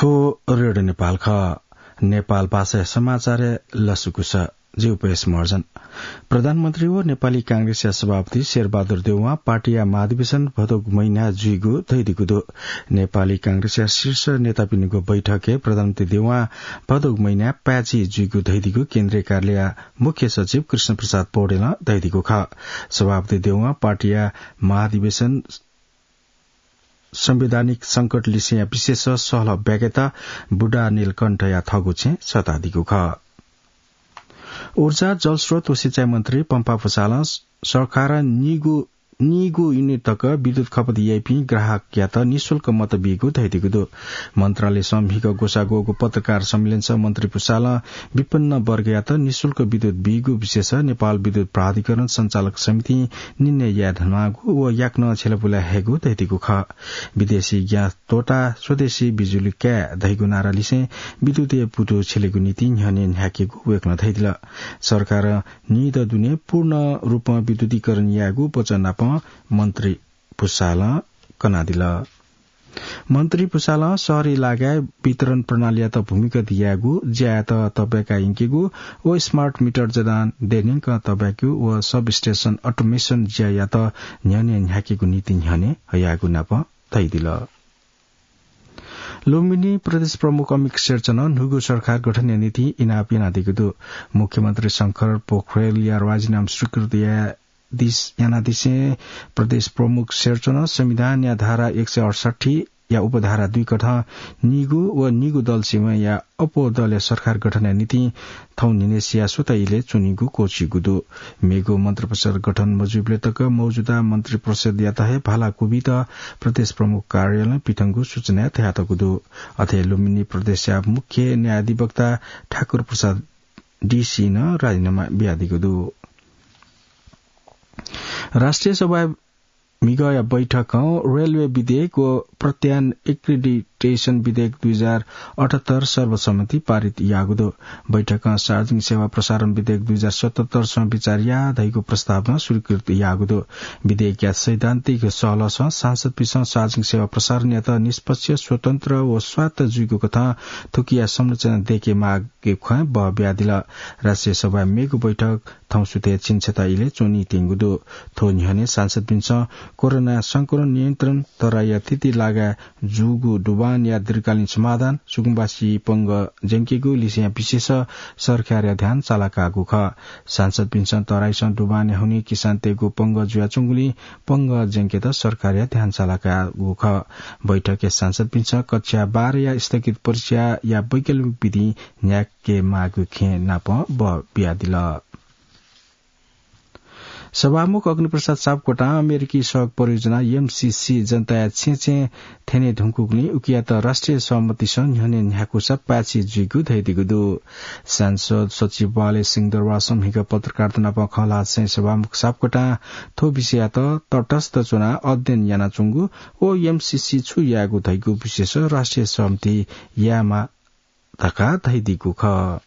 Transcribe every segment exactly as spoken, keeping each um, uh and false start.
थ्व रेडियो नेपाल खः। नेपाल भाषाया समाचारय् लसकुस। जि उपेश महर्जन। प्रधानमन्त्री व नेपाली कांग्रेसया सभापति शेरबहादुर देउवां पार्टीया महाधिवेशन भदौ महिना जुइगु धइदिगु दु। नेपाली कांग्रेसया शीर्ष नेतापिनिगु बैठकय् प्रधानमन्त्री देउवां भदौ महिना पाय्छि जुइगु धइदिगु केन्द्रीय कार्यालयया मुख्य सचिव कृष्ण प्रसाद पौडेलं धइदिगु खः। सभापति देउवां पार्टीया महाधिवेशन संवैधानिक संकट लिसेया विशेष सहलह ब्याकेत बुढा नीलकण्ठया थःगु छेँ सःतादीगु खः। ऊर्जा, जलस्रोत व सिँचाइ मन्त्री पम्फा पुसालं सरकारं नीगु, नीगु युनिट तक विद्युत खपत याइपिं ग्राहकयात निशुल्क मत बीगु धइदिगु दु। मन्त्रालयसं म्हिगः ग्वसाः ग्वःगु पत्रकार सम्मेलनसं मन्त्री पुसालं विपन्न वर्गयात निशुल्क विद्युत बीगु विषयस नेपाल विद्युत प्राधिकरण सञ्चालक समितिं निर्णय याये धुनागु व याकनं छ्यलापुला हयेगु धइदिगु खः। विदेशी ग्यास त्वःताः स्वदेशी बिजुली काये धइगु नारा लिसें विद्युतय् पुतु छ्यलेगु निंतिं न्ह्यःने न्ह्याकेगु वय्कलं धइदिल। सरकारं नीदँ दुने पूर्ण रूपं विद्युतीकरण यायेगु वचन नापं मन्त्री पुसालं कनादिल। मन्त्री पुसालं शहरी लागाय् वितरण प्रणालीयात भूमिगत यायेगु, ज्यायात तःब्याका यंकेगु व स्मार्ट मिटर जडान देय् न्यंकं तःब्याकेगु व सबस्टेशन अटोमेशन ज्यायात न्ह्यःने न्ह्याकेगु निंतिं न्ह्यःने हयागु नापं धइदिल। लुम्बिनी प्रदेश प्रमुख अमिक शेरचनं न्हूगु सरकार गठनया निंतिं इनाप यानादीगु दु। मुख्यमन्त्री शंकर पोखरेलया राजीनामा स्वीकृत याये दिस-, यानादिसें प्रदेश प्रमुख शेरचनं संविधानया धारा एक सय अठसट्ठी या उपधारा दुई कथं नीगु व नीगु दल सिबेंया अप्वः दलया सरकार गठनया निंतिं थौं न्हिनय्सिया स्वता इलय् च्वनीगु क्वःछीगु दु। मेगु मन्त्रिपरिषद गठन मजुइबलय् तक मौजुदा मन्त्रिपरिषदयात हे भाला क्वबीत प्रदेश प्रमुख कार्यालयं पिथंगु सूचनाय् धयातःगु दु। अथे लुम्बिनी प्रदेशया मुख्य न्यायाधिवक्ता ठाकुर प्रसाद डीसी नं राजीनामा बियादीगु दु। राष्ट्रिय सभाय् म्हिगःया बैठकं रेलवे विधेयक व प्रत्यायन एक्रिडिटेशन विधेयक दुई हजार अठहत्तर सर्वसम्मति पारित याःगु दु। बैठकं सार्वजनिक सेवा प्रसारण विधेयक दुई हजार सतहत्तर सं विचार या धइगु प्रस्तावना स्वीकृत याःगु दु। विधेयकया सैद्धान्तिक सहलहसं सांसदपिन्सं सार्वजनिक सेवा प्रसारणयात निष्पक्ष, स्वतन्त्र व स्वायत्त जुइगु कथं थुकिया संरचना दयेके माःगु खँय् बः बियादिल। राष्ट्रिय सभाय् मेगु बैठक थौं सुथय् झिंछता इलय् च्वनीत्यंगु दु। थ्व न्ह्यःने सांसदपिन्सं कोरोना संक्रमण नियन्त्रण तराईया थीथी लागाय् जूगु डुबानया दीर्घकालीन समाधान, सुकुम्बासी पंगः ज्यंकेगु लिसेया विशेष सरकारया ध्यान चालाकागु खः। सांसदपिन्सं तराईसं डुबानया हुनिं किसानतय्गु पंगः जुयाच्वंगुलिं पंगः ज्यंकेत सरकारया ध्यान चालाकागु खः। बैठकय् सांसदपिन्सं कक्षा बाह्रया स्थगित परीक्षाया वैकल्पिक विधि न्ह्याके माःगु खँय् नापं बः बियादिल। सभामुख अग्निप्रसाद सापकोटां अमेरिकी सडक परियोजना एमसीसी जनताया छेँछेँ थ्यने धुंकूगुलिं उकियात राष्ट्रिय सहमतिसं न्ह्यःने न्ह्याकूसा पाय्छि जुइगु धयादीगु दु। सांसद सचिवालय सिंहदरबारसं म्हिगः पत्रकारत नाप खँ ल्हाःसां सभामुख सापकोटां थ्व विषययात तटस्थ च्वनाः अध्ययन यानाच्वंगु व एमसीसी छु यायेगु धइगु विषयस राष्ट्रिय सहमति यायेमाः धकाः धयादीगु खः।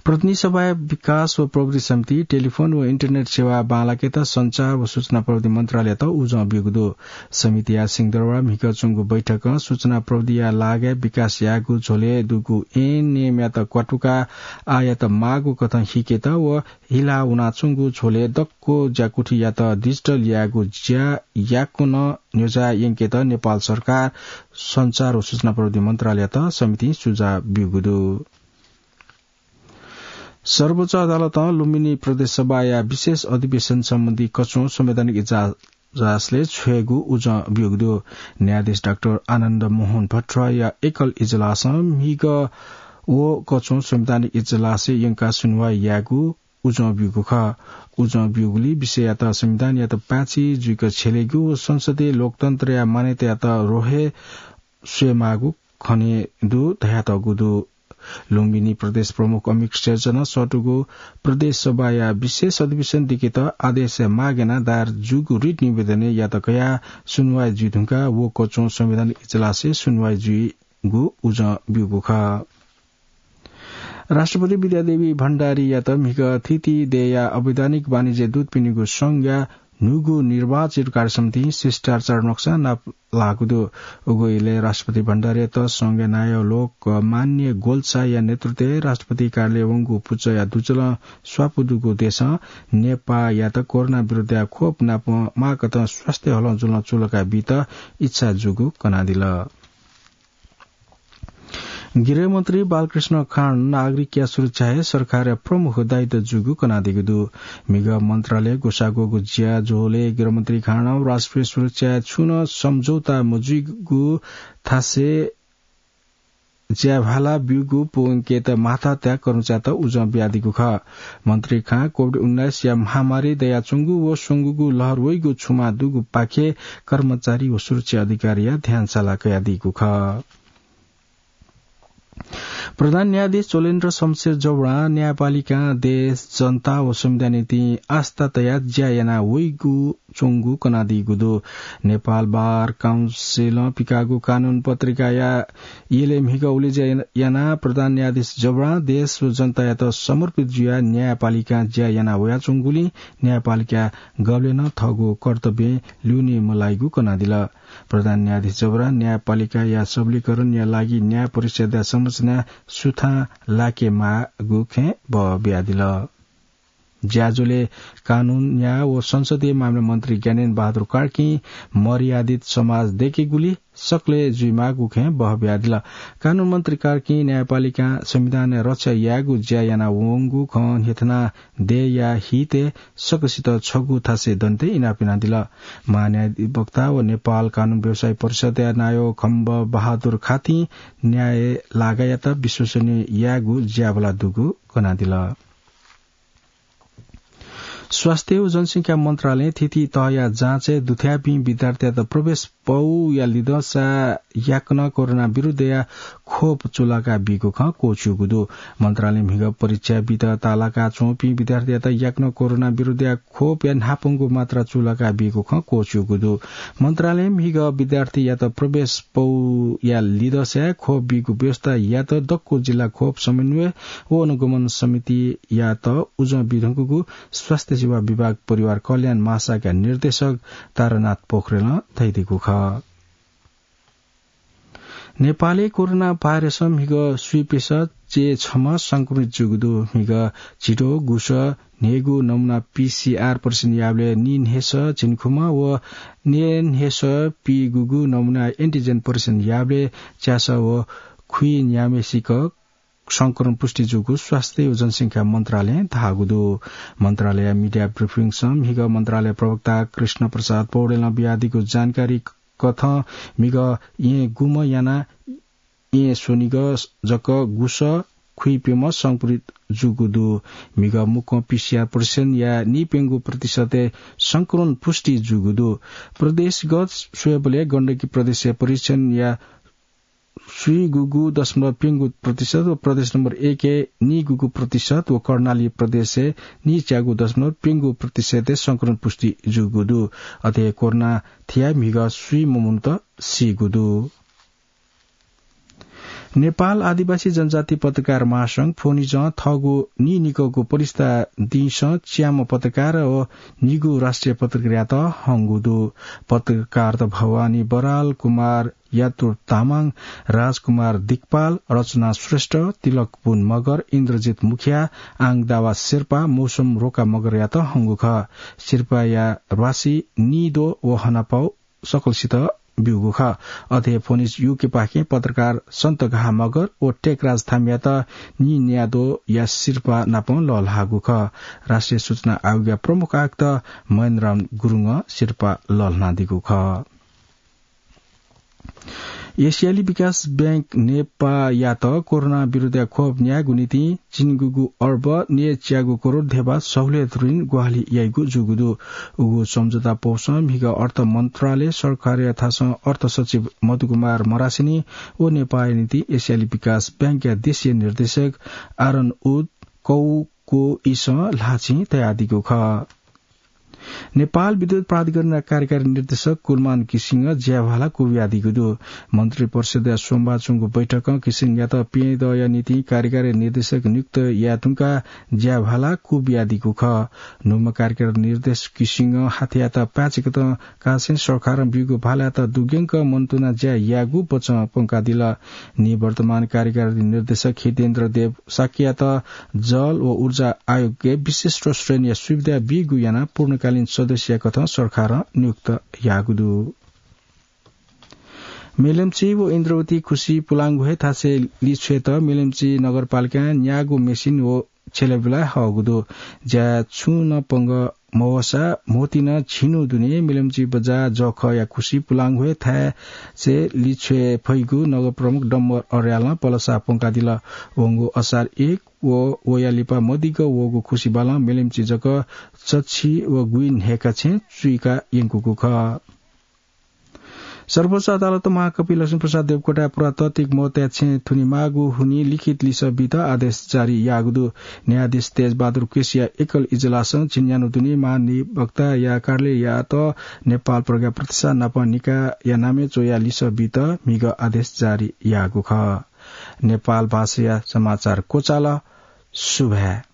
प्रतिनिधि सभाया विकास व प्रविधि समिति टेलिफोन व इन्टरनेट सेवा बांलाकेत सञ्चार व सूचना प्रविधि मन्त्रालययात उजं ब्यूगु दु। समितिया सिंहदरबार म्हिगः च्वंगु बैठकं सूचना प्रविधिया लागाय् विकास यायेगु झ्वलय् दुगु एनएमयात क्वातुकाः आःयात माःगु कथं हिकेत व हिला वनाच्वंगु झ्वलय् दक्व ज्याकुथियात डिजिटल यायेगु ज्या याकनं न्ह्यज्याः यंकेत नेपाल सरकार सञ्चार व सूचना प्रविधि मन्त्रालययात समितिं सुझाव ब्यूगु दु। सर्वोच्च अदालतं लुम्बिनी प्रदेश सभाया विशेष अधिवेशन सम्बन्धी कच्वं संवैधानिक इजलासलय् छ्वयेगु उजं ब्यूगु दु। न्यायाधीश डाक्टर आनन्द मोहन भट्टराईया एकल इजलासं म्हिगः व कच्वं संवैधानिक इजलासय् यंकाः सुनुवाइ यायेगु उजं ब्यूगु खः। उजं ब्यूगुलिं विषययात संविधानयात पाय्छि जुइक छ्यलेगु व संसदीय लोकतन्त्रया मान्यतायात रोहे स्वयेमाःगु खने दु धयातःगु दु। लुम्बिनी प्रदेश प्रमुख अमिक शेरचनं सःतूगु प्रदेश सभाया विशेष अधिवेशन दिकेत आदेश माग यानाः दायर जूगु रिट निवेदनय् यात कयाः सुनुवाइ जुइ धुंकाः व कच्वं संवैधानिक इजलासय् सुनुवाइ जुइगु उजं ब्यूगु खः। राष्ट्रपति विद्यादेवी भण्डारीयात म्हिगः थीथी देय्या अवैधानिक वाणिज्य दूतपिनिगु संघया न्हूगु निर्वाचित कार्यसमितिं शिष्टाचार नक्सा नाप लाःगु दु। उगु इलय् राष्ट्रपति भण्डारीयात संघीय नायः लोकमान्य गोल्छाया नेतृत्वय् राष्ट्रपति कार्यालय वंगु पुचःया दुजलं स्वापू दुगु देशं नेपाःयात कोरोना विरुद्धया खोप नाप माःकथं स्वास्थ्य हलंजुलं चूलाका बीत इच्छा जूगु कनादिल। गृहमन्त्री बालकृष्ण खाँड नागरिकया सुरक्षाय् सरकारया प्रमुख दायित्व जूगु कनादीगु दु। म्हिगः मन्त्रालय ग्वसाः ग्वःगु ज्याझ्वलय् गृहमन्त्री खाँडं राष्ट्रिय सुरक्षाय् छुं नं सम्झौता मजुइगु थासय् ज्याभाला ब्यूगु पूवंकेत माथात्या कर्मचारीत उजं बियादीगु खः। मन्त्री खाँ कोभिड उन्नाइसया महामारी दयाच्वंगु व स्वंगूगु लहर वइगु छुमा दुगुपाखे कर्मचारी व सुरक्षा अधिकारीया ध्यान साला कयादीगु खः। प्रधान न्यायाधीश चोलेन्द्र शमशेर जबडां न्यायपालिकां देश, जनता व संविधान निंतिं आस्था तयाः ज्या याना वइगु च्वंगु कनादीगु दु। नेपाल बार काउन्सिलं पिकाःगु कानून पत्रिकाया यलय् म्हिगः उलेज्या यानाः प्रधान न्यायाधीश जबडां देश व जनतायात समर्पित जुयाः न्यायपालिकां ज्या याना वयाच्वंगुलिं न्यायपालिकां गबलें नं थःगु कर्तव्यं ल्यूने मलाइगु कनादिल। प्रधान न्यायाधीश जबडां न्यायपालिकाया सबलीकरणया लागि न्याय परिषदया संरचना सुथां लाकेमाःगु खँय् बः बियादिल। ज्याझ्वलय् कानून, न्याय व संसदीय मामला मन्त्री ज्ञानेन्द्र बहादुर कार्कीं मर्यादित समाज दयेकेगुली सकलें जुइमाःगु खँय् बः बियादिल। कानून मन्त्री कार्कीं न्यायपालिकां संविधानया रक्षा यायेगु ज्या याना वंगु खँ न्ह्यथना दयेया हितय् सकसित छगू थासय् दनेत इनाप यानादिल। महान्यायाधिवक्ता व नेपाल कानून व्यवसायी परिषदया नायः खम्ब बहादुर खातीं न्याय लागायात विश्वसनीय यायेगु ज्याबला दुगु कनादिल। स्वास्थ्य व जनसंख्या मन्त्रालयं थीथी तहया जाँचय् दुथ्याःपिं विद्यार्थीयात प्रवेश पौया लिधंसा याकनं कोरोना विरुद्धया खोप चूलाका बीगु खँ क्वःछिउगु दु। मन्त्रालयं म्हिगः परीक्षा बीत ताःलाका च्वंपिं विद्यार्थीयात याकनं कोरोना विरुद्धया खोपया न्हापांगु मात्रा चूलाका बीगु खँ क्वःछिउगु दु। मन्त्रालयं म्हिगः विद्यार्थीयात प्रवेश पौया लिधंसाय् खोप बीगु व्यवस्था यात दक्व जिल्ला खोप समन्वय व अनुगमन समितियात उजं बिधंकूगु स्वास्थ्य सेवा विभाग परिवार कल्याण महाशाखा निर्देशक तारानाथ पोखरेलं धयादीगु खः। नेपालय् कोरोना भाइरसं म्हिगः स्वीपिसः चे छम्ह संक्रमित जूगु दु। म्हिगः झिद्वः गुसः न्हय्गू नमुना पीसीआर परीक्षण याःबलय् नीन्हय्सः झिंखुम्ह व न्यय्न्हय्सः पीगूगू नमुना एन्टिजेन परीक्षण याःबलय् च्यासः व खुइन्याम्हेसिक संक्रमण पुष्टि जूगु स्वास्थ्य व जनसंख्या मन्त्रालयं धाःगु दु। मन्त्रालयया मिडिया ब्रिफिङसं म्हिगः मन्त्रालय प्रवक्ता कृष्ण प्रसाद पौडेलं बियादीगु जानकारी कथं म्हिगः येँ गुम्ह यानाः येँ स्वनिगः जक गुसः खुइप्यम्ह संक्रमित जूगु दु। म्हिगः मुक्कं पीसीआर परीक्षण याः नीप्यंगू प्रतिशतय् संक्रमण पुष्टि जूगु दु। प्रदेशगत स्वयेबलय् गण्डकी प्रदेशय् परीक्षण याः स्वीगूगू दशमलव प्यंगू प्रतिशत व प्रदेश नम्बर एकय् नीगूगू प्रतिशत व कर्णाली प्रदेशय् नीच्यागू दशमलव प्यंगू प्रतिशतय् संक्रमण पुष्टि जूगु दु। अथे कोरोना थियाः म्हिगः स्वीम्ह मनूत सीगु दु। नेपाल आदिवासी जनजाति पत्रकार महासंघ फोनिजं थःगु नीनिकःगु परिस्था दिंसं च्याम्ह पत्रकार व निगू राष्ट्रिय पत्रकारयात हंगु दु। पत्रकारत भवानी बराल, कुमार यातुर तामाङ, राजकुमार दिक्पाल, रचना श्रेष्ठ, तिलक पुन मगर, इन्द्रजित मुखिया, आङ दावा शेर्पा, मौसम रोका मगरयात हंगु खः। शेर्पाया ल्वासी निद्वः व हनापाउ सकलसित ब्यूगु खः। अथे फोनिज युकेपाखें पत्रकार सन्त घा मगर व टेकराज थामियात निन्याद्वःया सिरपाः नाप लःल्हाःगु खः। राष्ट्रिय सूचना आयोगया प्रमुख आयुक्त महेन्द्रराम गुरुङं सिरपाः लःल्हानादीगु खः। एसियाली विकास बैंक नेपाःयात कोरोना विरुद्धया खोप न्यायेगु निंतिं झिंगूगू अर्ब न्यय्च्यागू करोड धेबा सहुलियत ऋण ग्वाहालि याइगु जूगु दु। उगु सम्झौता पौसं म्हिगः अर्थ मन्त्रालय, सरकारया थासं अर्थ सचिव मधुकुमार मरासिनी व नेपाःया निंतिं एसियाली विकास बैंकया देशीय निर्देशक आरन उद कौकोइसं ल्हाःचिं तयादीगु खः। नेपाल विद्युत प्राधिकरणया कार्यकारी निर्देशक कुलमान घिसिङं ज्याभाला क्वबियादीगु दु। मन्त्री परिषदया सोमबार च्वंगु बैठकं घिसिङयात प्यदँया निंतिं कार्यकारी निर्देशक नियुक्त याये धुंकाः ज्याभाला क्वबियादीगु खः। न्हूम्ह कार्यकारी निर्देशक घिसिङं हाथ्यायात पाय्‌चिकतं काःसें सरकारं ब्यूगु भालायात दुग्यंक मनंतुनाः ज्या यायेगु बचं प्वंकादिल। निवर्तमान कार्यकारी निर्देशक हितेन्द्र देव शाक्ययात जल व ऊर्जा आयोगय् विशिष्ट श्रेणीया सुविधा बीगु यानाः पूर्णकालीन सदस्यया कथं सरकारं नियुक्त याःगु दु। मेलम्ची व इन्द्रवती खुसी पुलांगु हे थासय् लिछ्वयेत मेलम्ची नगरपालिकां न्यागू मेसिन व छ्यलाबिला हःगु दु। ज्याय् छुं नं पंगः मवःसा म्होतिं नं झिन्हु दुने मेलम्ची बजार जःखःया खुसी पुलांगु हे थासय् लिछ्वये फइगु नगर प्रमुख डम्बर अर्यालं पलसा प्वंकादिल। वंगु असार एक व वया लिपा मदिक्क वःगु खुसी बालं मेलम्ची जक चच्छि व गुइ न्हय्‌का छेँ चुइका यंकूगु खः। सर्वोच्च अदालतं महाकवि लक्ष्मीप्रसाद देवकोटाया पुरातात्विक महत्वया छेँ थुनेमाःगु हुनिं लिखित लिसः बीत आदेश जारी याःगु दु। न्यायाधीश तेजबहादुर केसीया एकल इजलासं झिंन्यान्हु दुने महाधिवक्ताया कार्यालययात नेपाल प्रज्ञा प्रतिष्ठान नाप निकायया नामय् च्वयाः लिसः बीत म्हिगः आदेश जारी याःगु खः। नेपाल भाषाया समाचार क्वचाल। सुभाय्।